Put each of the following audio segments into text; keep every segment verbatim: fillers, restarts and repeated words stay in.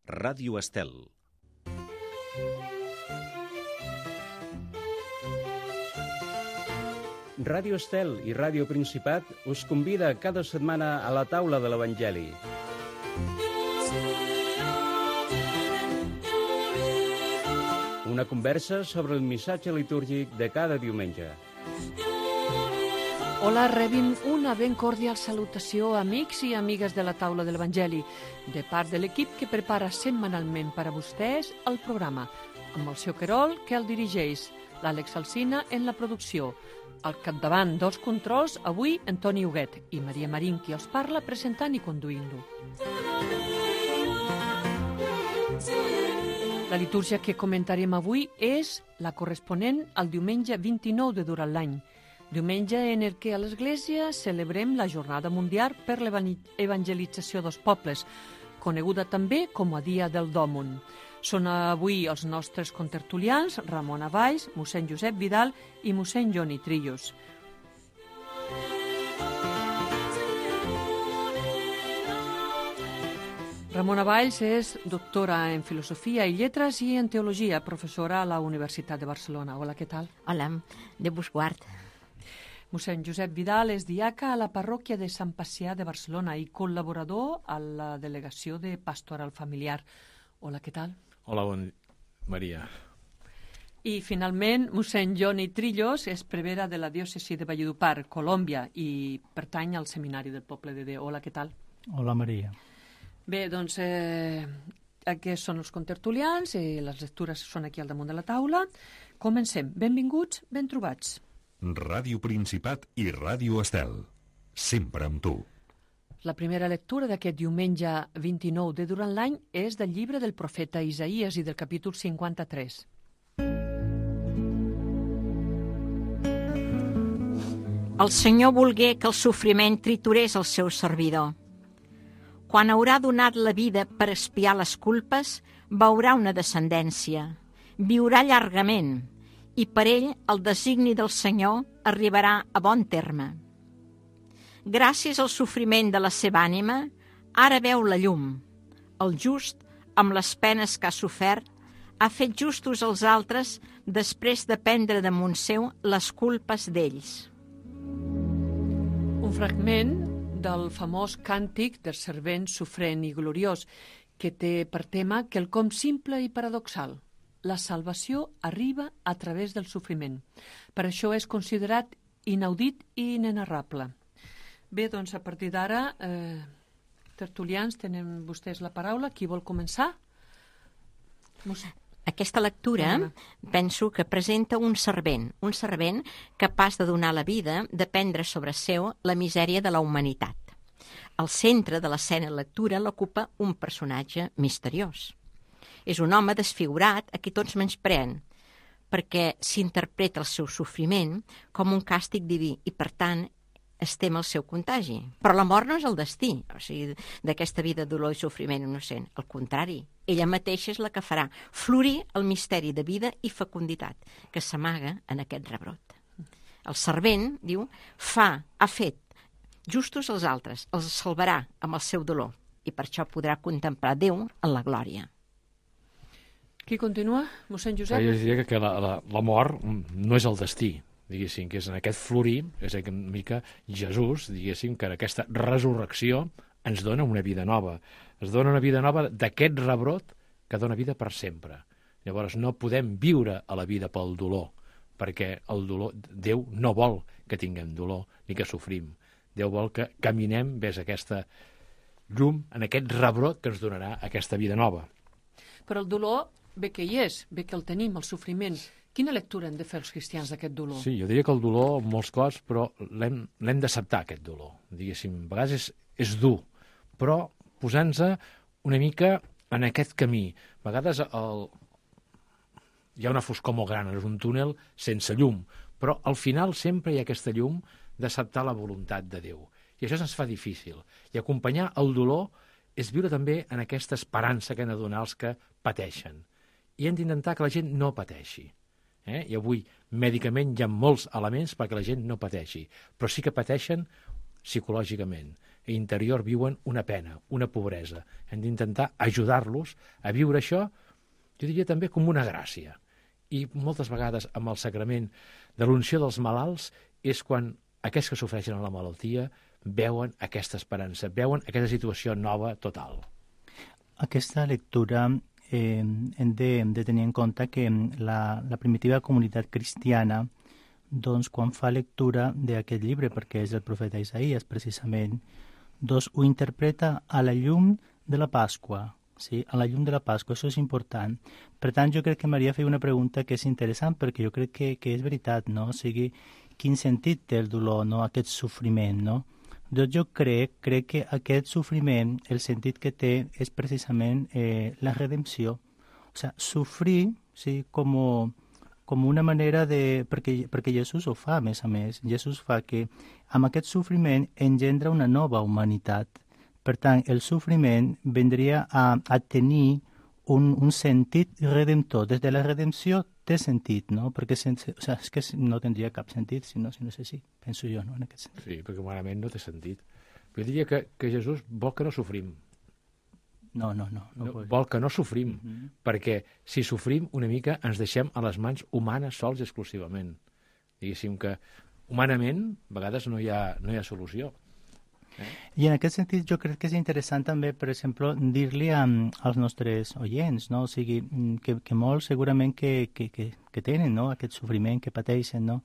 Ràdio Estel. Ràdio Estel i Ràdio Principat us convida cada setmana a la taula de l'Evangeli. Una conversa sobre el missatge litúrgic de cada diumenge. Hola, rebin una ben cordial salutació, amics i amigues de la taula de l'Evangeli, de part de l'equip que prepara setmanalment per a vostès el programa, amb el seu Querol, que el dirigeix, l'Àlex Alsina en la producció. Al capdavant dels controls, avui, Antoni Huguet i Maria Marín, qui els parla, presentant i conduint-lo. La litúrgia que comentarem avui és la corresponent al diumenge vint-i-nou de durant l'any, diumenge en el que a l'Església celebrem la Jornada Mundial per l'Evangelització dels Pobles, coneguda també com a Dia del Dòmon. Són avui els nostres contertulians, Ramona Valls, mossèn Josep Vidal i mossèn Joni Trillos. Ramona Valls és doctora en Filosofia i Lletres i en Teologia, professora a la Universitat de Barcelona. Hola, què tal? Hola, de Busguard. Mossèn Josep Vidal és diaca a la parròquia de Sant Pacià de Barcelona i col·laborador a la Delegació de Pastoral Familiar. Hola, què tal? Hola, bon Maria. I, finalment, mossèn Joni Trillos és prevere de la diòcesi de Valledupar, Colòmbia, i pertany al Seminari del Poble de Déu. Hola, què tal? Hola, Maria. Bé, doncs, eh, aquests són els contertulians i les lectures són aquí al damunt de la taula. Comencem. Benvinguts, ben trobats. Ràdio Principat i Ràdio Estel. Sempre amb tu. La primera lectura d'aquest diumenge vint-i-nou de durant l'any és del llibre del profeta Isaïes i del capítol cinquanta-tres. El Senyor volgué que el sofriment triturés el seu servidor. Quan haurà donat la vida per expiar les culpes, veurà una descendència, viurà llargament, i per ell el designi del Senyor arribarà a bon terme. Gràcies al sofriment de la seva ànima, ara veu la llum. El just, amb les penes que ha sofert, ha fet justos els altres després de prendre damunt seu les culpes d'ells. Un fragment del famós càntic del servent sofrent i gloriós, que té per tema quelcom simple i paradoxal. La salvació arriba a través del sofriment. Per això és considerat inaudit i inenarrable. Bé, doncs a partir d'ara, eh, tertulians, tenen vostès la paraula. Qui vol començar? Mos... Aquesta lectura penso que presenta un servent, un servent capaç de donar la vida, de prendre sobre seu la misèria de la humanitat. Al centre de l'escena de lectura l'ocupa un personatge misteriós. És un home desfigurat a qui tots menyspreen, perquè s'interpreta el seu sofriment com un càstig diví i, per tant, es tem el seu contagi. Però la mort no és el destí, o sigui, d'aquesta vida de dolor i sofriment innocent. Al contrari, ella mateixa és la que farà florir el misteri de vida i fecunditat que s'amaga en aquest rebrot. El servent, diu, fa, ha fet justos els altres, els salvarà amb el seu dolor i per això podrà contemplar Déu en la glòria. Qui continua? Mossèn Josep? Jo diria que la, la, la mort no és el destí, diguéssim, que és en aquest florir, és una mica Jesús, diguéssim, que en aquesta resurrecció ens dona una vida nova. Es dona una vida nova d'aquest rebrot que dona vida per sempre. Llavors no podem viure a la vida pel dolor, perquè el dolor, Déu no vol que tinguem dolor ni que sofrim. Déu vol que caminem vers aquesta llum, en aquest rebrot que ens donarà aquesta vida nova. Però el dolor bé que hi és, bé que el tenim, el sofriment. Quina lectura hem de fer els cristians d'aquest dolor? Sí, jo diria que el dolor, en molts cops, però l'hem l'hem d'acceptar, aquest dolor. Diguéssim, a vegades és, és dur, però posant-se una mica en aquest camí. A vegades el... hi ha una foscor molt gran, és un túnel sense llum, però al final sempre hi ha aquesta llum d'acceptar la voluntat de Déu. I això se'ns fa difícil. I acompanyar el dolor és viure també en aquesta esperança que han de donar els que pateixen. I hem d'intentar que la gent no pateixi. Eh? I avui, mèdicament, hi ha molts elements perquè la gent no pateixi, però sí que pateixen psicològicament. interior viuen una pena, una pobresa. Hem d'intentar ajudar-los a viure això, jo diria també com una gràcia. I moltes vegades amb el sacrament de l'unció dels malalts és quan aquests que sofreixen la malaltia veuen aquesta esperança, veuen aquesta situació nova total. Aquesta lectura eh, hem, de, hem de tenir en compte que la, la primitiva comunitat cristiana, doncs, quan fa lectura d'aquest llibre, perquè és el profeta Isaías, precisament, doncs ho interpreta a la llum de la Pasqua, sí? A la llum de la Pasqua, això és important. Per tant, jo crec que Maria feia una pregunta que és interessant, perquè jo crec que, que és veritat, no? O sigui, quin sentit té el dolor, no? Aquest sofriment, no? Doncs jo crec, crec que aquest sofriment, el sentit que té és precisament eh, la redempció. O sigui, sofrir, sí, com, com una manera de... Perquè, perquè Jesús ho fa, a més a més. Jesús fa que amb aquest sofriment engendra una nova humanitat. Per tant, el sofriment vendria a, a tenir un, un sentit redemptor. Des de la redempció té sentit, no? Perquè sense, o sigui, és que no tindria cap sentit si no, si no és així, penso jo, no? En aquest sentit. Sí, perquè humanament no té sentit. Però jo diria que, que Jesús vol que no sofrim. No, no, no. no, no vol. vol que no sofrim, Uh -huh. perquè si sofrim una mica ens deixem a les mans humanes sols exclusivament. Diguéssim que humanament a vegades no hi ha, no hi ha solució. Eh? I en aquest sentit jo crec que és interessant també, per exemple, dir-li als nostres oients, no? O sigui, que, que molts segurament que, que, que, que tenen, no? Aquest sofriment que pateixen, no?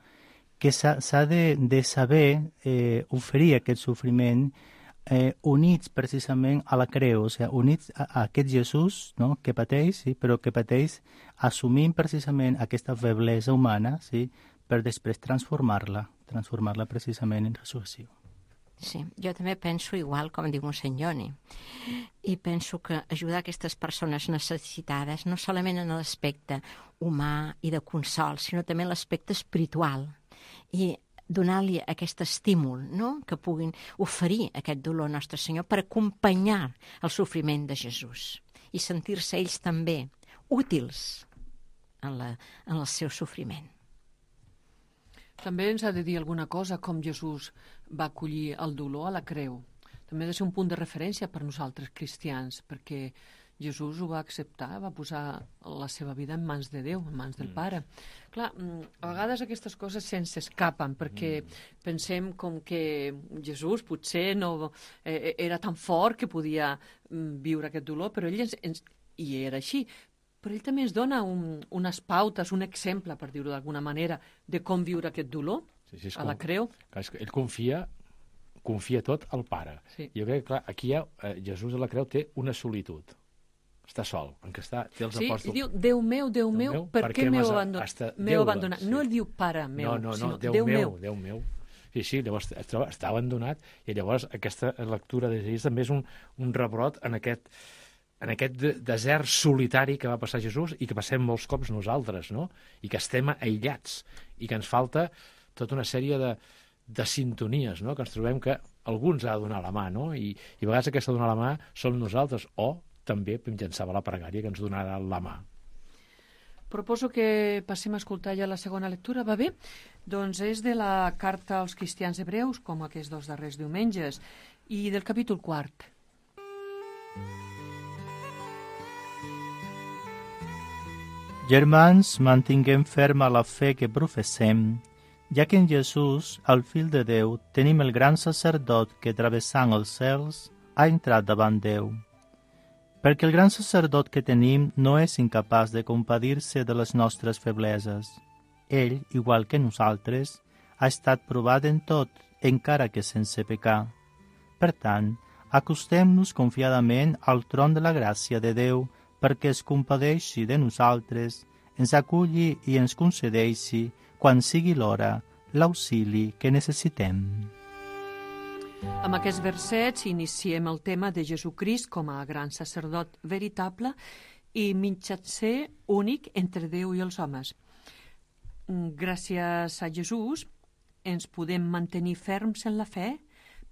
Que s'ha de, de saber eh, oferir aquest sofriment eh, units precisament a la creu, o sigui, units a, a aquest Jesús, no? Que pateix, sí? Però que pateix assumint precisament aquesta feblesa humana, sí? Per després transformar-la, transformar-la precisament en resurrecció. Sí, jo també penso igual, com diu mossèn Joni, i penso que ajudar aquestes persones necessitades no solament en l'aspecte humà i de consol, sinó també en l'aspecte espiritual, i donar-li aquest estímul, no?, que puguin oferir aquest dolor a Nostre Senyor per acompanyar el sofriment de Jesús i sentir-se ells també útils en, la, en el seu sofriment. També ens ha de dir alguna cosa com Jesús va acollir el dolor a la creu. També ha de ser un punt de referència per nosaltres cristians, perquè Jesús ho va acceptar, va posar la seva vida en mans de Déu, en mans del Pare. Clar, a vegades aquestes coses se'ns escapen, perquè pensem com que Jesús potser no eh, era tan fort que podia viure aquest dolor, però ell ens, ens, i era així. Però ell també ens dona un, unes pautes, un exemple, per dir-ho d'alguna manera, de com viure aquest dolor sí, sí, a la creu. Clar, és que ell confia, confia tot al Pare. Sí. Jo crec que clar, aquí ha, eh, Jesús a la creu té una solitud. Està sol, en què està, té els sí, apòstols... Sí, diu, Déu meu, Déu meu, meu per, per què m'heu abandonat? abandonat? Sí. No el diu Pare meu, no, no, no, sinó Déu, Déu meu, meu. Déu meu. Sí, sí, llavors es troba, està abandonat, i llavors aquesta lectura de Jesús també és un, un rebrot en aquest... en aquest desert solitari que va passar Jesús i que passem molts cops nosaltres, no? I que estem aïllats i que ens falta tota una sèrie de, de sintonies, no? Que ens trobem que algú ens ha de donar la mà, no? I, i a vegades aquesta donar la mà som nosaltres, o també mitjançant la pregària que ens donarà la mà. Proposo que passem a escoltar ja la segona lectura, va bé? Doncs és de la carta als cristians hebreus, com aquests dos darrers diumenges, i del capítol quart. Germans, mantinguem ferma la fe que professem, ja que en Jesús, el Fill de Déu, tenim el gran sacerdot que, travessant els cels, ha entrat davant Déu. Perquè el gran sacerdot que tenim no és incapaç de compadir-se de les nostres febleses. Ell, igual que nosaltres, ha estat provat en tot, encara que sense pecar. Per tant, acostem-nos confiadament al tron de la gràcia de Déu, perquè es compadeixi de nosaltres, ens aculli i ens concedeixi, quan sigui l'hora, l'auxili que necessitem. Amb aquests versets iniciem el tema de Jesucrist com a gran sacerdot veritable i mitjancer únic entre Déu i els homes. Gràcies a Jesús ens podem mantenir ferms en la fe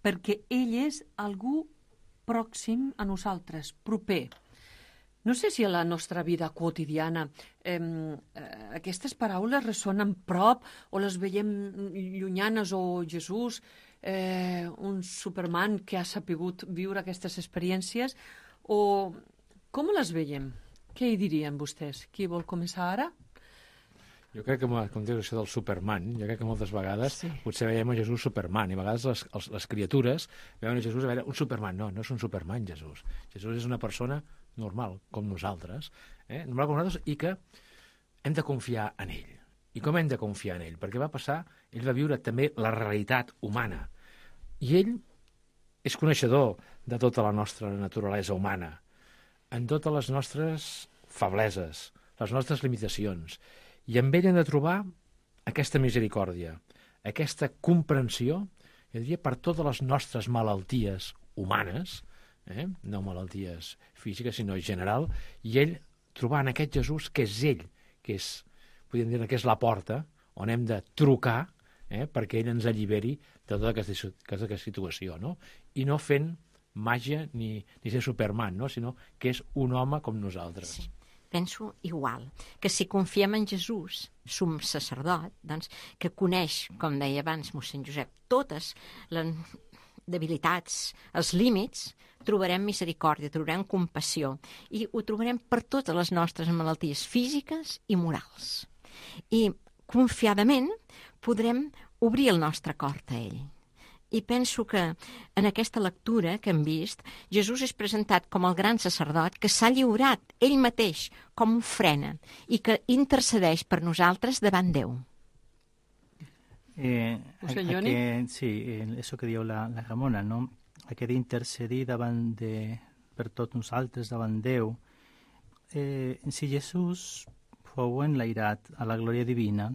perquè ell és algú pròxim a nosaltres, proper. No sé si a la nostra vida quotidiana eh, aquestes paraules ressonen prop o les veiem llunyanes o Jesús eh, un Superman que ha sapigut viure aquestes experiències, o com les veiem? Què hi dirien vostès? Qui vol començar ara? Jo crec que, com dius, això del Superman, jo crec que moltes vegades sí. potser veiem a Jesús Superman, i a vegades les, les, les criatures veuen a Jesús a veure un Superman. No, no és un Superman, Jesús. Jesús és una persona normal, com nosaltres, eh? normal com nosaltres, i que hem de confiar en ell. I com hem de confiar en ell? Perquè va passar, ell va viure també la realitat humana. I ell és coneixedor de tota la nostra naturalesa humana, en totes les nostres febleses, les nostres limitacions. I amb ell hem de trobar aquesta misericòrdia, aquesta comprensió, jo diria, per totes les nostres malalties humanes, eh? no malalties físiques, sinó en general, i ell trobar en aquest Jesús que és ell, que és, podríem dir que és la porta on hem de trucar eh? perquè ell ens alliberi de tota aquesta, aquesta situació, no? I no fent màgia ni, ni ser Superman, no? Sinó que és un home com nosaltres. Sí. Penso igual, que si confiem en Jesús, som sacerdot, doncs, que coneix, com deia abans mossèn Josep, totes les debilitats, els límits, trobarem misericòrdia, trobarem compassió, i ho trobarem per totes les nostres malalties físiques i morals. I confiadament podrem obrir el nostre cor a ell. I penso que en aquesta lectura que hem vist, Jesús és presentat com el gran sacerdot que s'ha lliurat ell mateix com ofrena i que intercedeix per nosaltres davant Déu. Eh, aquest, sí, això que diu la, la Ramona, no? Aquest intercedir davant de, per tots nosaltres davant Déu. Eh, si Jesús fou enlairat a la glòria divina,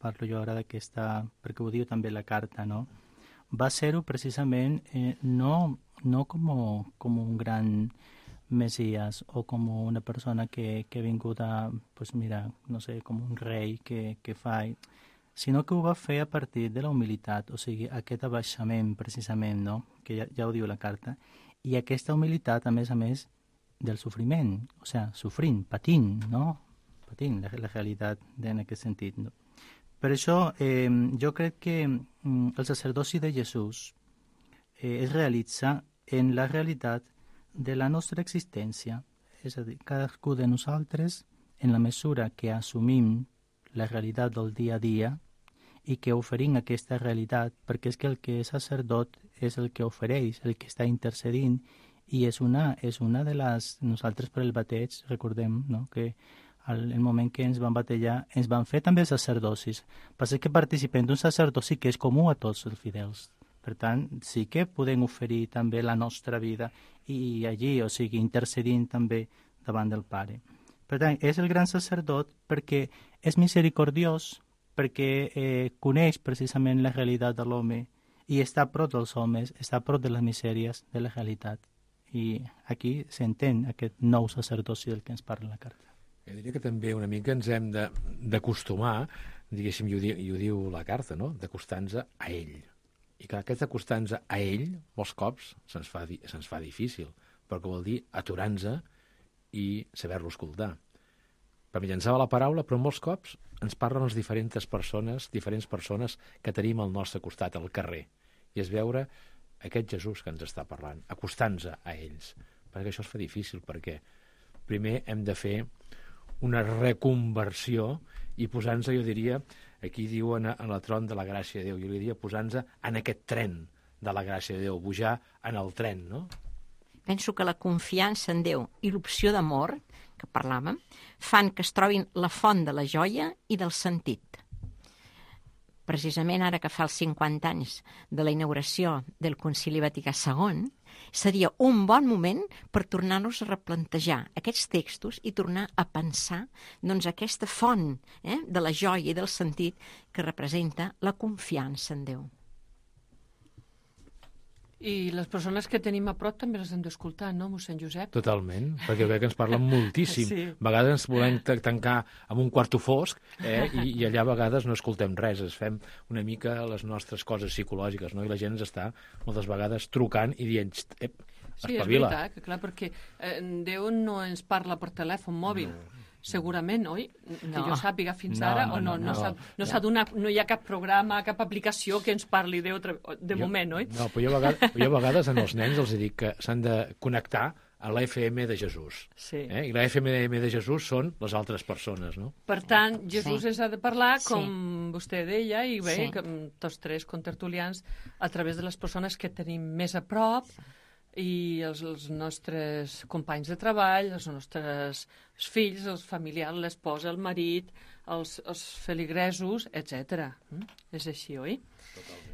parlo jo ara d'aquesta, perquè ho diu també la carta, no? Va ser-ho precisament eh, no, no com, com un gran Messias o com una persona que, que ha vingut a, pues mira, no sé, com un rei que, que fa, sinó que ho va fer a partir de la humilitat, o sigui, aquest abaixament precisament, no? Que ja, ja ho diu la carta, i aquesta humilitat, a més a més, del sofriment, o sigui, sofrint, patint, no? Patint la, la realitat en aquest sentit, no? Per això eh, jo crec que mm, el sacerdoci de Jesús eh, es realitza en la realitat de la nostra existència. És a dir, cadascú de nosaltres, en la mesura que assumim la realitat del dia a dia i que oferim aquesta realitat, perquè és que el que és sacerdot és el que ofereix, el que està intercedint, i és una, és una de les... Nosaltres per el bateig recordem, no?, que al el moment que ens van batejar, ens van fer també sacerdocis. Passa que participem d'un sacerdoci que és comú a tots els fidels. Per tant, sí que podem oferir també la nostra vida i allí, o sigui, intercedint també davant del Pare. Per tant, és el gran sacerdot perquè és misericordiós, perquè eh, coneix precisament la realitat de l'home i està a prop dels homes, està a prop de les misèries de la realitat. I aquí s'entén aquest nou sacerdoci del que ens parla la carta. Jo diria que també una mica ens hem d'acostumar, diguéssim, i ho, diu, i ho diu la carta, no?, d'acostar-nos a ell. I clar, aquest acostar-nos a ell, molts cops, se'ns fa, se'ns fa difícil, perquè vol dir aturar-nos i saber-lo escoltar. Per mitjançar la paraula, però molts cops ens parlen les diferents persones, diferents persones que tenim al nostre costat, al carrer. I és veure aquest Jesús que ens està parlant, acostant-nos a ells. Perquè això es fa difícil, perquè primer hem de fer una reconversió i posar-nos, jo diria, aquí diuen en el tron de la gràcia de Déu, jo diria posar-nos en aquest tren de la gràcia de Déu, pujar en el tren, no? Penso que la confiança en Déu i l'opció d'amor, que parlàvem, fan que es trobin la font de la joia i del sentit. Precisament ara que fa els cinquanta anys de la inauguració del Concili Vaticà segon, seria un bon moment per tornar-nos a replantejar aquests textos i tornar a pensar doncs, aquesta font eh, de la joia i del sentit que representa la confiança en Déu. I les persones que tenim a prop també les hem d'escoltar, no, mossèn Josep? Totalment, perquè veig que ens parlen moltíssim. Sí. A vegades ens volem tancar en un quarto fosc eh, i, i allà a vegades no escoltem res, es fem una mica les nostres coses psicològiques, no? I la gent ens està moltes vegades trucant i dient, ep, espavila. Sí, és veritat, que clar, perquè eh, Déu no ens parla per telèfon mòbil. No. Segurament, oi? Que No. jo sàpiga fins No, ara, no, o no, no, no, no. s'ha- no s'ha donat, no hi ha cap programa, cap aplicació que ens parli de, de Jo- moment, oi? No, però jo a vegades, jo a vegades en els nens els dic que s'han de connectar a la F M de Jesús. Sí. Eh? I la F M de Jesús són les altres persones, no? Per tant, Jesús Sí. ens ha de parlar, Sí. com vostè deia, i bé, Sí. que amb tots tres contertulians, a través de les persones que tenim més a prop, i els, els nostres companys de treball, els nostres fills, els familiars, l'esposa, el marit, els, els feligresos, etcètera. Mm? És així, oi? Totalment.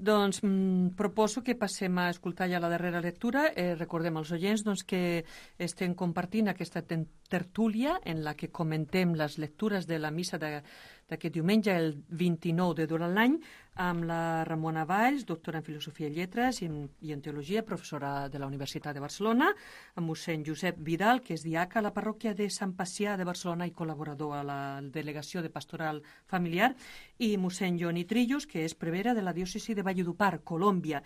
Doncs mm, proposo que passem a escoltar ja la darrera lectura. Eh, recordem als oients doncs, que estem compartint aquesta tertúlia en la que comentem les lectures de la missa d'aquest diumenge, el vint-i-nou de durant l'any, amb la Ramona Valls, doctora en Filosofia i Lletres i en, i en Teologia, professora de la Universitat de Barcelona, amb mossèn Josep Vidal, que és diaca a la parròquia de Sant Pacià de Barcelona i col·laborador a la Delegació de Pastoral Familiar, i mossèn Joni Trillos, que és prevere de la diòcesi de Valledupar, Colòmbia,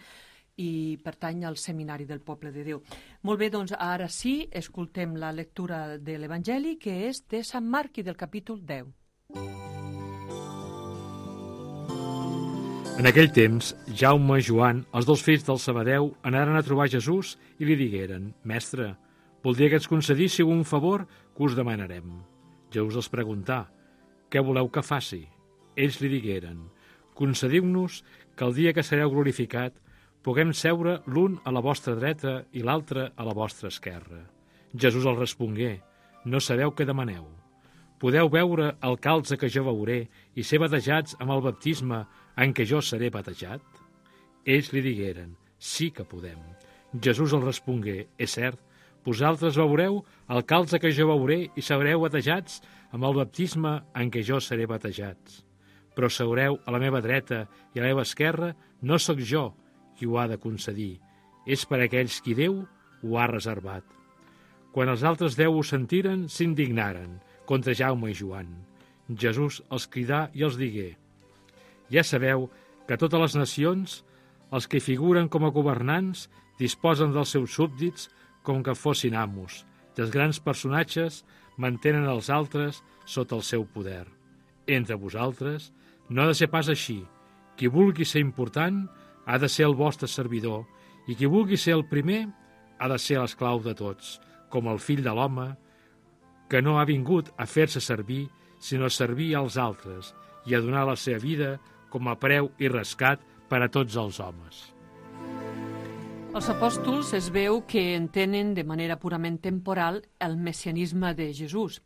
i pertany al Seminari del Poble de Déu. Molt bé, doncs ara sí, escoltem la lectura de l'Evangeli, que és de Sant Marc i del capítol deu. En aquell temps, Jaume i Joan, els dos fills del Zebedeu, anaren a trobar Jesús i li digueren: Mestre, voldria que ens concedíssiu un favor que us demanarem. Jesús els preguntà: Què voleu que faci? Ells li digueren: Concediu-nos que el dia que sereu glorificat puguem seure l'un a la vostra dreta i l'altre a la vostra esquerra. Jesús els respongué: No sabeu què demaneu. Podeu veure el calze que jo veuré i ser batejats amb el baptisme en què jo seré batejat? Ells li digueren: Sí que podem. Jesús els respongué: És cert, vosaltres veureu el calze que jo veuré i sereu batejats amb el baptisme en què jo seré batejats. Però seureu a la meva dreta i a la meva esquerra no sóc jo qui ho ha de concedir, és per aquells qui Déu ho ha reservat. Quan els altres deu ho sentiren, s'indignaren contra Jaume i Joan. Jesús els cridà i els digué: Ja sabeu que totes les nacions, els que figuren com a governants, disposen dels seus súbdits com que fossin amos, i els grans personatges mantenen els altres sota el seu poder. Entre vosaltres no ha de ser pas així. Qui vulgui ser important ha de ser el vostre servidor, i qui vulgui ser el primer ha de ser l'esclau de tots, com el fill de l'home, que no ha vingut a fer-se servir, sinó a servir als altres i a donar la seva vida com a preu i rescat per a tots els homes. Els apòstols es veu que entenen de manera purament temporal el messianisme de Jesús.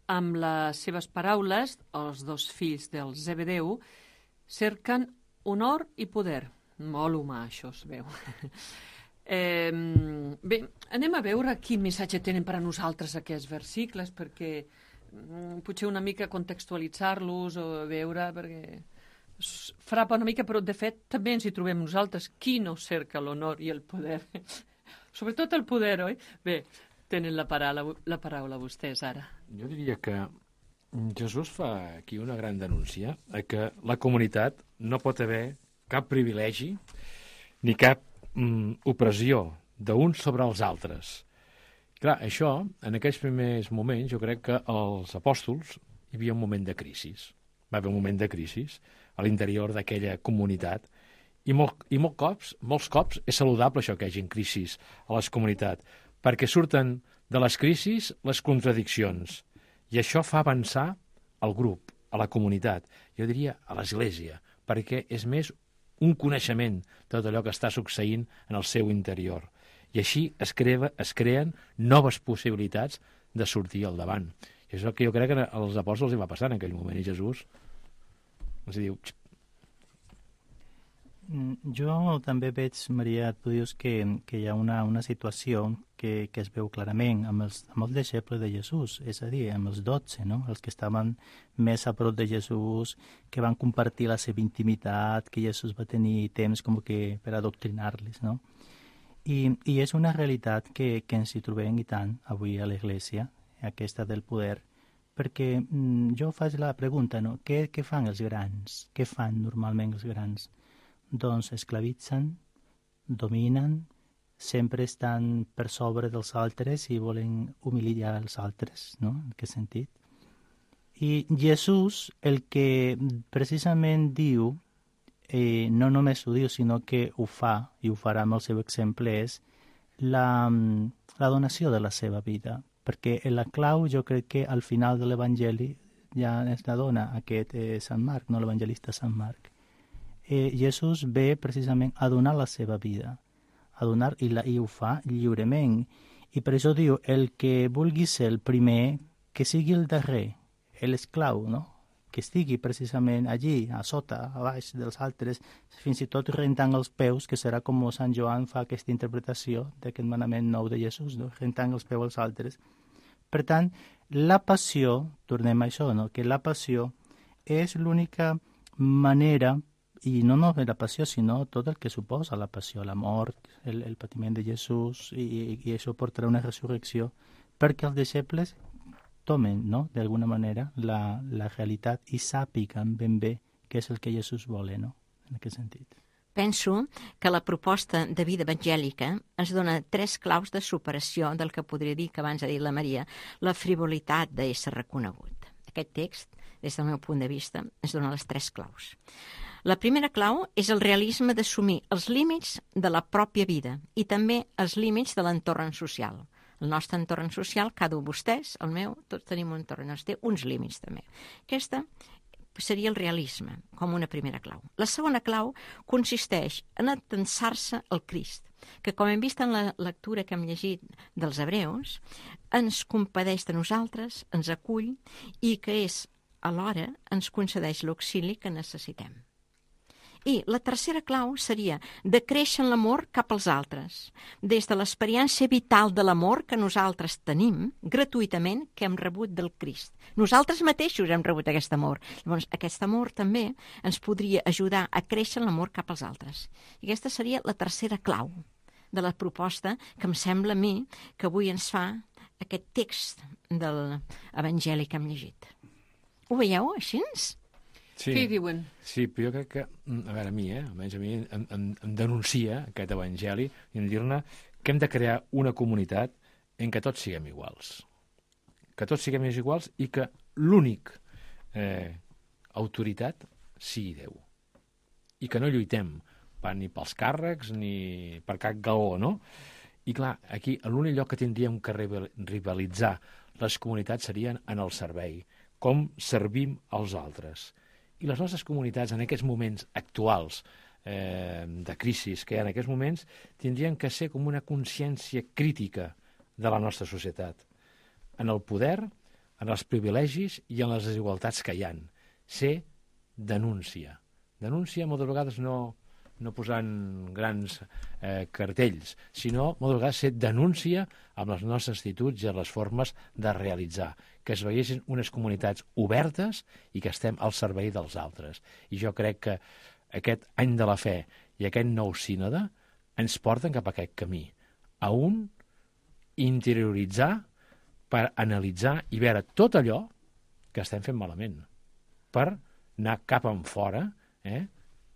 Amb les seves paraules, els dos fills del Zebedeu cerquen honor i poder. Molt humà, això es veu. Eh, bé, anem a veure quin missatge tenen per a nosaltres aquests versicles, perquè mm, potser una mica contextualitzar-los o veure, perquè es frapa una mica, però de fet també ens hi trobem nosaltres. Qui no cerca l'honor i el poder? Sobretot el poder, oi? Bé, tenen la paraula, la paraula vostès ara. Jo diria que Jesús fa aquí una gran denúncia a que la comunitat no pot haver cap privilegi ni cap mm, opressió d'uns sobre els altres. Clar, això, en aquells primers moments, jo crec que els apòstols hi havia un moment de crisi. Va haver un moment de crisi a l'interior d'aquella comunitat i, molt, i molt cops, molts cops és saludable això que hi hagi crisis a les comunitats, perquè surten de les crisis les contradiccions i això fa avançar el grup, a la comunitat, jo diria a l'Església, perquè és més un coneixement de tot allò que està succeint en el seu interior. I així es, crea, es creen noves possibilitats de sortir al davant. I és el que jo crec que als apòstols hi va passar en aquell moment, i Jesús els diu... Jo també veig, Maria, tu dius que, que hi ha una, una situació que, que es veu clarament amb els, amb els deixebles de Jesús, és a dir, amb els dotze, no? Els que estaven més a prop de Jesús, que van compartir la seva intimitat, que Jesús va tenir temps com que per adoctrinar-les, no? I, i és una realitat que, que ens hi trobem i tant avui a l'Església, aquesta del poder, perquè mm, jo faig la pregunta, no? Què, què fan els grans? Què fan normalment els grans? Doncs esclavitzen, dominen, sempre estan per sobre dels altres i volen humiliar els altres, no? En aquest sentit. I Jesús, el que precisament diu, eh, no només ho diu, sinó que ho fa, i ho farà amb el seu exemple, és la, la donació de la seva vida. Perquè la clau, jo crec que al final de l'Evangeli ja es la dona aquest eh, Sant Marc, no l'evangelista Sant Marc. Eh, Jesús ve precisament a donar la seva vida, a donar, i, la, i ho fa lliurement. I per això diu, el que vulgui ser el primer, que sigui el darrer, l'esclau, no? Que estigui precisament allí, a sota, a baix dels altres, fins i tot rentant els peus, que serà com Sant Joan fa aquesta interpretació d'aquest manament nou de Jesús, no? Rentant els peus als altres. Per tant, la passió, tornem a això, no? Que la passió és l'única manera, i no només la passió, sinó tot el que suposa la passió, la mort, el, el patiment de Jesús, i, i això portarà una resurrecció, perquè els deixebles tomen, no?, d'alguna manera, la, la realitat i sàpiguen ben bé què és el que Jesús vol, no?, en aquest sentit. Penso que la proposta de vida evangèlica ens dona tres claus de superació del que podria dir, que abans ha dit la Maria, la frivolitat d'ésser reconegut. Aquest text, des del meu punt de vista, ens dona les tres claus. La primera clau és el realisme d'assumir els límits de la pròpia vida i també els límits de l'entorn social. El nostre entorn social, cada un de vostès, el meu, tots tenim un entorn, ens té uns límits també. Aquesta seria el realisme, com una primera clau. La segona clau consisteix en atensar-se al Crist, que, com hem vist en la lectura que hem llegit dels Hebreus, ens compadeix de nosaltres, ens acull i que és, alhora, ens concedeix l'auxili que necessitem. I la tercera clau seria de créixer en l'amor cap als altres, des de l'experiència vital de l'amor que nosaltres tenim gratuïtament, que hem rebut del Crist. Nosaltres mateixos hem rebut aquest amor. Llavors, aquest amor també ens podria ajudar a créixer en l'amor cap als altres. I aquesta seria la tercera clau de la proposta que em sembla a mi que avui ens fa aquest text de l'Evangeli que hem llegit. Ho veieu així? Sí. Què hi diuen? Sí, però jo crec que, a veure, a mi, eh, almenys a mi, em, em, em denuncia aquest evangeli i em dir-ne que hem de crear una comunitat en què tots siguem iguals. Que tots siguem iguals i que l'únic eh, autoritat sigui Déu. I que no lluitem ni pels càrrecs ni per cap galó, no? I clar, aquí l'únic lloc que tindríem que rivalitzar les comunitats serien en el servei, com servim als altres. I les nostres comunitats, en aquests moments actuals eh, de crisi que hi ha en aquests moments, tindrien que ser com una consciència crítica de la nostra societat, en el poder, en els privilegis i en les desigualtats que hi ha. Ser denúncia. Denúncia moltes vegades no, no posant grans eh, cartells, sinó moltes vegades ser denúncia amb les nostres actituds i les formes de realitzar, que es veiessin unes comunitats obertes i que estem al servei dels altres. I jo crec que aquest any de la fe i aquest nou sínode ens porten cap a aquest camí, a un interioritzar per analitzar i veure tot allò que estem fent malament, per anar cap en fora, eh?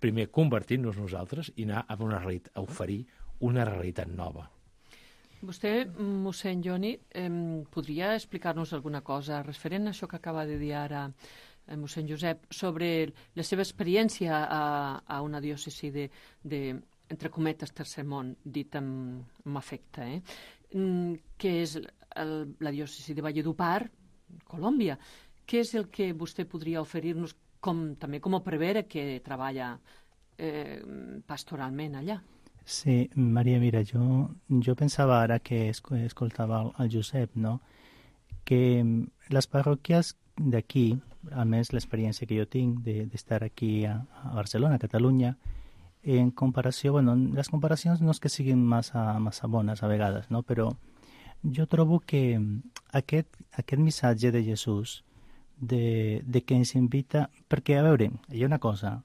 primer convertir-nos nosaltres i anar a, una realitat, a oferir una realitat nova. Vostè, mossèn Joni, eh, podria explicar-nos alguna cosa referent a això que acaba de dir ara eh, mossèn Josep, sobre la seva experiència a, a una diòcesi de, de, entre cometes, tercer món, dit amb, amb afecte, eh? Mm, que és el, la diòcesi de Valledupar, Colòmbia. Què és el que vostè podria oferir-nos com, també com a prevere que treballa eh, pastoralment allà? Sí, Maria, mira, jo, jo pensava ara que escoltava el Josep, no?, que les parròquies d'aquí, almenys l'experiència que jo tinc d'estar aquí a, a Barcelona, a Catalunya, en comparació, bueno, les comparacions no és que siguin massa, massa bones a vegades, no?, però jo trobo que aquest, aquest missatge de Jesús, de, de que ens invita... Perquè, a veure, hi ha una cosa,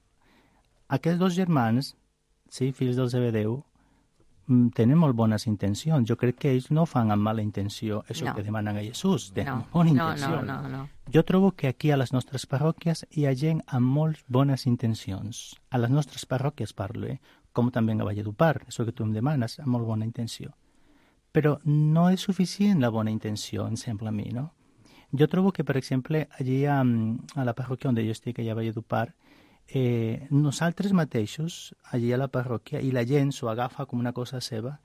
aquests dos germans, sí, fills del Zebedeu, tenen molt bones intencions. Jo crec que ells no fan amb mala intenció això no. que demanen a Jesús. Tenen no. bona intenció. No, no, no, no. Jo trobo que aquí a les nostres parròquies hi ha gent amb molt bones intencions. A les nostres parròquies parlo, eh? com també a Valledupar, això que tu em demanes, amb molt bona intenció. Però no és suficient la bona intenció, em sembla a mi, no? Jo trobo que, per exemple, allí a, a la parròquia on jo estic, allà a Valledupar, eh, nosaltres mateixos, allí a la parròquia, i la gent s'ho agafa com una cosa seva,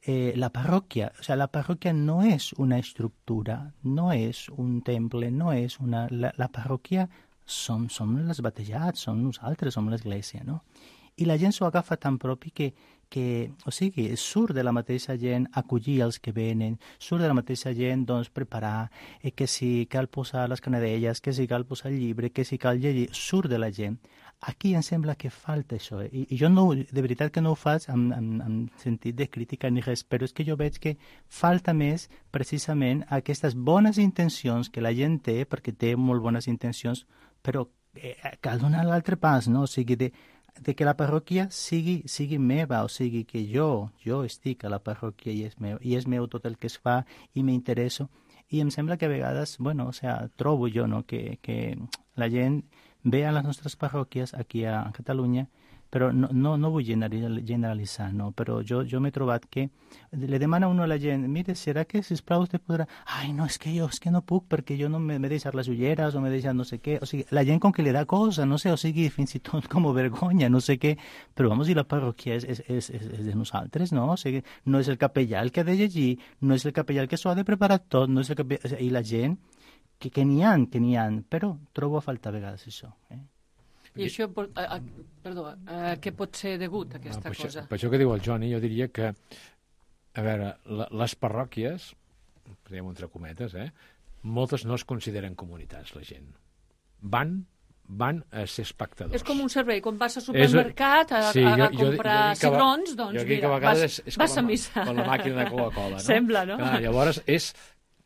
eh, la parròquia, o sea, la parròquia no és una estructura, no és un temple, no és una... La, la parròquia som, som els batejats, som nosaltres, som l'església, no? I la gent s'ho agafa tan propi que, que, o sigui, surt de la mateixa gent acollir els que venen, surt de la mateixa gent, doncs, preparar, eh, que si cal posar les canadelles, que si cal posar el llibre, que si cal llegir, surt de la gent. Aquí em sembla que falta això, eh? I, i jo no, de veritat que no ho faig en, en, en sentit de crítica ni res, però és que jo veig que falta més precisament aquestes bones intencions que la gent té, perquè té molt bones intencions, però eh, cal donar l'altre pas, no? O sigui, de, de que la parròquia sigui, sigui meva, o sigui, que jo, jo estic a la parròquia i és meu, i és meu tot el que es fa i m'interesso. I em sembla que a vegades, bueno, o sea, trobo jo, no?, que, que la gent ve a les nostres parròquies aquí a Catalunya, però no, no, no vull generalitzar, no? Però jo, jo m'he trobat que le demana uno a la gent, mire, serà que, sisplau, vostè podrà... Ai, no, és que jo és que no puc perquè jo no m'he deixat les ulleres o m'he deixat no sé què. O sigui, la gent com que li da cosa, no sé, o sigui, fins i tot com vergonya, no sé què. Però, vamos, i la parròquia és, és, és, és de nosaltres, no? O sigui, no és el capellà el que ha de llegir, no és el capellà el que s'ho ha de preparar tot, no és el capellà... O sigui, i la gent, que, que n'hi ha, que n'hi ha, però trobo a faltar a vegades això, eh? I això, a, a, perdó, a què pot ser degut, aquesta no, per cosa? Això, per això que diu el Johnny, jo diria que, a veure, la, les parròquies, diguem entre cometes, eh, moltes no es consideren comunitats, la gent. Van, van a ser espectadors. És com un servei, quan vas al supermercat a, sí, a, a jo, comprar jo, jo cigrons, doncs jo mira, que vas, és, és vas a la, missa. Com la màquina de Coca-Cola, no? Sembla, no? Clar, llavors és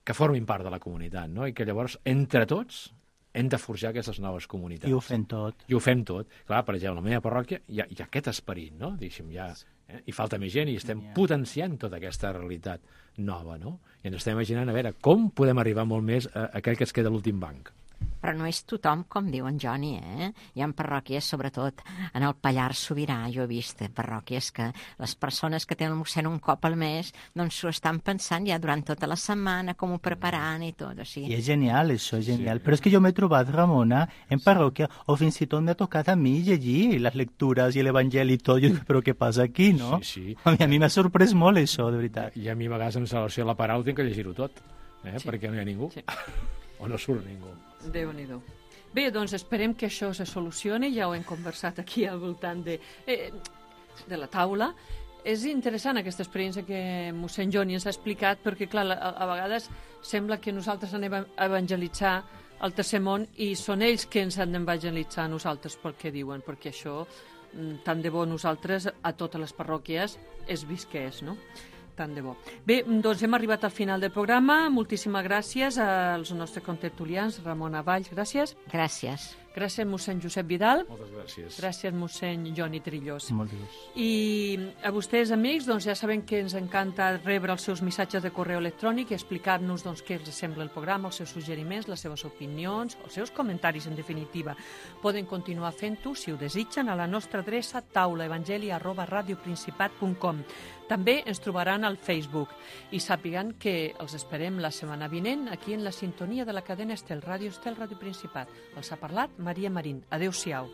que formin part de la comunitat, no? I que llavors, entre tots, hem de forjar aquestes noves comunitats. I ho fem tot. I ho fem tot. Clar, per exemple, a la meva parròquia hi ha, hi ha aquest esperit, no? Diguéssim, ja, eh? I falta més gent i estem yeah. potenciant tota aquesta realitat nova, no? I ens estem imaginant, a veure, com podem arribar molt més a aquell que es queda a l'últim banc. Però no és tothom, com diu en Johnny, eh? Hi ha parròquies, sobretot en el Pallars Sobirà, jo he vist parròquies que les persones que tenen el mossèn un cop al mes, doncs s'ho estan pensant ja durant tota la setmana, com ho prepararan i tot. O sigui... I és genial, això, és genial. Sí. Però és que jo m'he trobat, Ramona, en parròquia, o fins i tot m'ha tocat a mi llegir les lectures i l'Evangeli i tot. Jo dic, però què passa aquí, no? Sí, sí. A mi, a mi m'ha sorprès molt això, de veritat. I a mi a vegades en celebració de la paraula tinc que llegir-ho tot, eh? Sí. Perquè no hi ha ningú. Sí. O no surt ningú. Déu-n'hi-do. Bé, doncs esperem que això se solucioni, ja ho hem conversat aquí al voltant de, eh, de la taula. És interessant aquesta experiència que mossèn Johnny ens ha explicat, perquè clar, a, a vegades sembla que nosaltres anem a evangelitzar el tercer món i són ells que ens han d'evangelitzar a nosaltres pel que diuen, perquè això, tant de bo nosaltres a totes les parròquies és visqués, no? Tant de bo. Bé, doncs hem arribat al final del programa. Moltíssimes gràcies als nostres contertulians. Ramona Valls, gràcies. Gràcies. Gràcies, mossèn Josep Vidal. Moltes gràcies. Gràcies, mossèn Johnny Trillós. Moltes gràcies. I a vostès, amics, doncs ja saben que ens encanta rebre els seus missatges de correu electrònic i explicar-nos doncs, què els sembla el programa, els seus suggeriments, les seves opinions, els seus comentaris, en definitiva. Poden continuar fent-ho, si ho desitgen, a la nostra adreça taulaevangeli arroba radioprincipat punt com. També ens trobaran al Facebook i sàpiguen que els esperem la setmana vinent aquí en la sintonia de la cadena Estel, Ràdio Estel, Ràdio Principat. Els ha parlat Maria Marín. Adéu-siau.